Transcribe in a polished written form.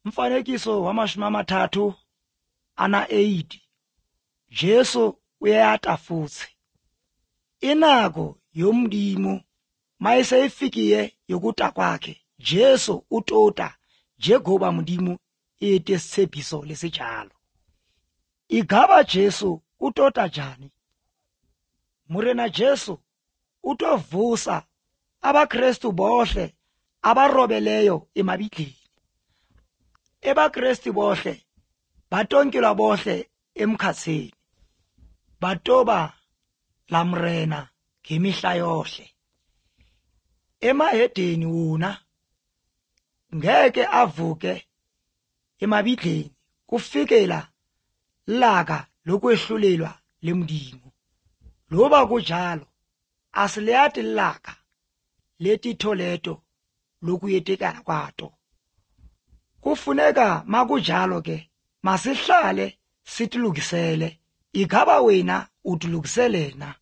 Mfanekiso wamashumi amathathu ana-80 Jesu uyata futhi. Inako yomndimo mayiseyifikiye yokuta kwakhe Jesu utota njengoba mndimo ete sitshepiso lesijalo. Igaba Jesu utota njani? Murena Jesu utovusa abaKristu bohle abarobeleyo emabidleni. EbaKristu bohle batonkilwa bohle emkhatsini. Batoba lamrena ngemihla yohle. Emahedeni wona ngeke avuke emabidleni kufikela laka lokwehlulelwa lemndimo. Loba kunjalo asiliyati laka letitholeto lokuyetekana kwato. Kufuneka makunjalo ke masihlale sitilukisele. Igaba wena utilukisele na?